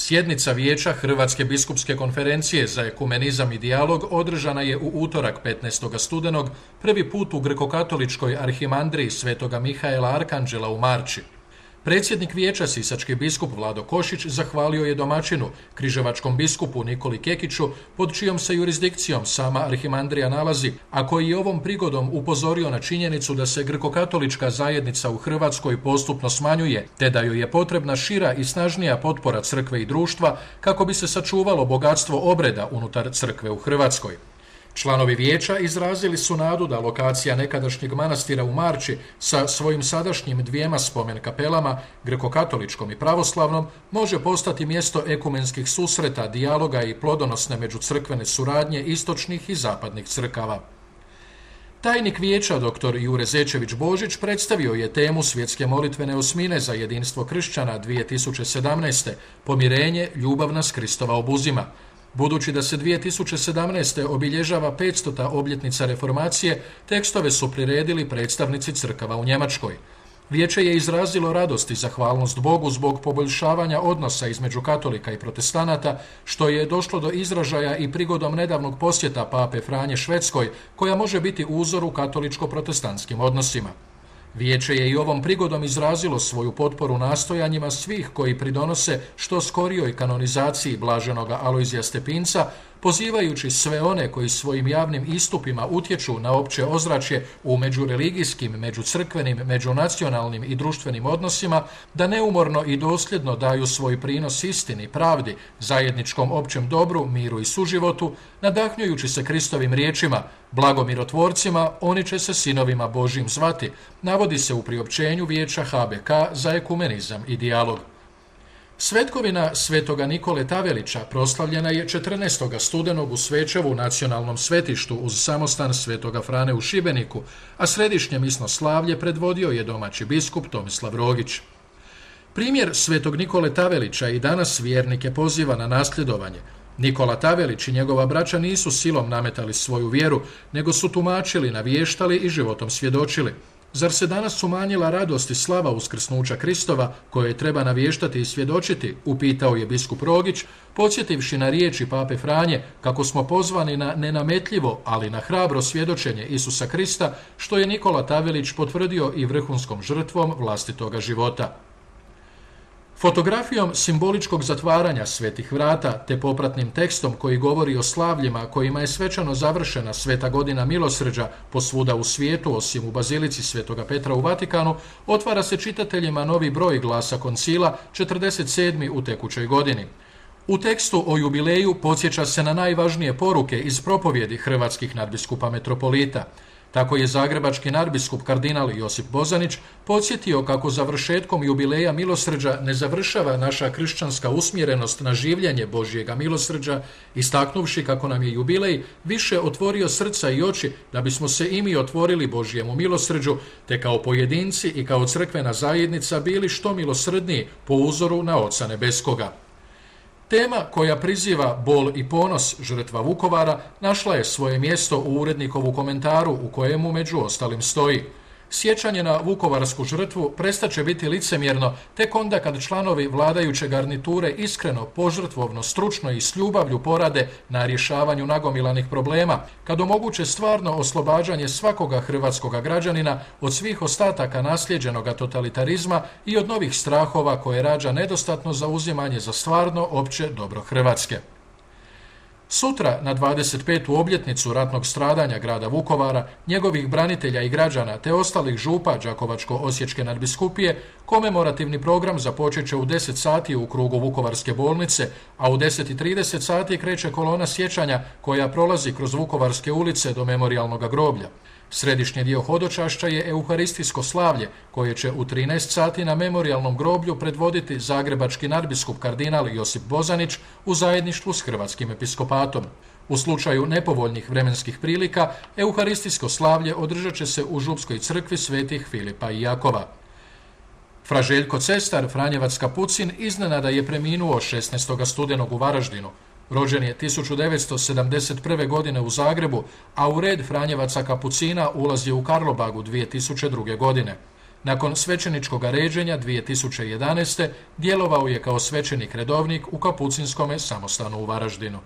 Sjednica Vijeća Hrvatske biskupske konferencije za ekumenizam i dijalog održana je u utorak 15. studenog prvi put u grekokatoličkoj arhimandriji Svetoga Mihaela Arkanđela u Marči. Predsjednik vijeća, sisački biskup Vlado Košić, zahvalio je domaćinu, križevačkom biskupu Nikoli Kekiću, pod čijom se jurisdikcijom sama arhimandrija nalazi, a koji je ovom prigodom upozorio na činjenicu da se grekokatolička zajednica u Hrvatskoj postupno smanjuje, te da joj je potrebna šira i snažnija potpora crkve i društva kako bi se sačuvalo bogatstvo obreda unutar crkve u Hrvatskoj. Članovi vijeća izrazili su nadu da lokacija nekadašnjeg manastira u Marči sa svojim sadašnjim 2 spomen kapelama, grekokatoličkom i pravoslavnom, može postati mjesto ekumenskih susreta, dijaloga i plodonosne međucrkvene suradnje istočnih i zapadnih crkava. Tajnik vijeća dr. Jure Zečević-Božić predstavio je temu svjetske molitvene osmine za jedinstvo kršćana 2017. Pomirenje, ljubav nas Kristova obuzima. Budući da se 2017. obilježava 500. obljetnica reformacije, tekstove su priredili predstavnici crkava u Njemačkoj. Vijeće je izrazilo radost i zahvalnost Bogu zbog poboljšavanja odnosa između katolika i protestanata, što je došlo do izražaja i prigodom nedavnog posjeta pape Franje Švedskoj, koja može biti uzor u katoličko-protestantskim odnosima. Vijeće je i ovom prigodom izrazilo svoju potporu nastojanjima svih koji pridonose što skorijoj kanonizaciji blaženoga Alojzija Stepinca, pozivajući sve one koji svojim javnim istupima utječu na opće ozračje u međureligijskim, međucrkvenim, međunacionalnim i društvenim odnosima, da neumorno i dosljedno daju svoj prinos istini, pravdi, zajedničkom općem dobru, miru i suživotu, nadahnjujući se Kristovim riječima: blago mirotvorcima, oni će se sinovima Božjim zvati, navodi se u priopćenju Vijeća HBK za ekumenizam i dijalog. Svetkovina Svetoga Nikole Tavelića proslavljena je 14. studenog u Svečevu nacionalnom svetištu uz samostan Svetoga Frane u Šibeniku, a središnje misno slavlje predvodio je domaći biskup Tomislav Rogić. Primjer Svetog Nikole Tavelića i danas vjernike poziva na nasljedovanje. Nikola Tavelić i njegova braća nisu silom nametali svoju vjeru, nego su tumačili, navještali i životom svjedočili. Zar se danas umanjila radost i slava uskrsnuća Kristova, koje treba navještati i svjedočiti, upitao je biskup Rogić, podsjetivši na riječi pape Franje kako smo pozvani na nenametljivo, ali na hrabro svjedočenje Isusa Krista, što je Nikola Tavelić potvrdio i vrhunskom žrtvom vlastitoga života. Fotografijom simboličkog zatvaranja svetih vrata te popratnim tekstom koji govori o slavljima kojima je svečano završena sveta godina milosrđa posvuda u svijetu osim u bazilici Svetoga Petra u Vatikanu, otvara se čitateljima novi broj Glasa koncila, 47. u tekućoj godini. U tekstu o jubileju podsjeća se na najvažnije poruke iz propovjedi hrvatskih nadbiskupa metropolita. Tako je zagrebački nadbiskup kardinal Josip Bozanić podsjetio kako završetkom jubileja milosrđa ne završava naša kršćanska usmjerenost na življenje Božjega milosrđa, istaknuvši kako nam je jubilej više otvorio srca i oči da bismo se i mi otvorili Božjemu milosrđu, te kao pojedinci i kao crkvena zajednica bili što milosrdniji po uzoru na Oca Nebeskoga. Tema koja priziva bol i ponos žrtva Vukovara našla je svoje mjesto u urednikovu komentaru u kojemu među ostalim stoji: sjećanje na vukovarsku žrtvu prestaće biti licemjerno tek onda kad članovi vladajuće garniture iskreno, požrtvovno, stručno i s ljubavlju porade na rješavanju nagomilanih problema, kad omoguće stvarno oslobađanje svakoga hrvatskoga građanina od svih ostataka naslijeđenoga totalitarizma i od novih strahova koje rađa nedostatno zauzimanje za stvarno opće dobro Hrvatske. Sutra, na 25. obljetnicu ratnog stradanja grada Vukovara, njegovih branitelja i građana te ostalih župa Đakovačko-osječke nadbiskupije, komemorativni program započet će u 10 sati u krugu Vukovarske bolnice, a u 10:30 sati kreće kolona sjećanja koja prolazi kroz Vukovarske ulice do memorijalnog groblja. Središnji dio hodočašća je euharistijsko slavlje, koje će u 13 sati na memorijalnom groblju predvoditi zagrebački nadbiskup kardinal Josip Bozanić u zajedništvu s hrvatskim episkopatom. U slučaju nepovoljnih vremenskih prilika, euharistijsko slavlje održat će se u Župskoj crkvi svetih Filipa i Jakova. Fra Željko Cestar, Franjevac Kapucin, iznenada je preminuo 16. studenog u Varaždinu. Rođen je 1971. godine u Zagrebu, a u red Franjevaca Kapucina ulazio u Karlobagu 2002. godine. Nakon svećeničkog ređenja 2011. djelovao je kao svećenik redovnik u Kapucinskome samostanu u Varaždinu.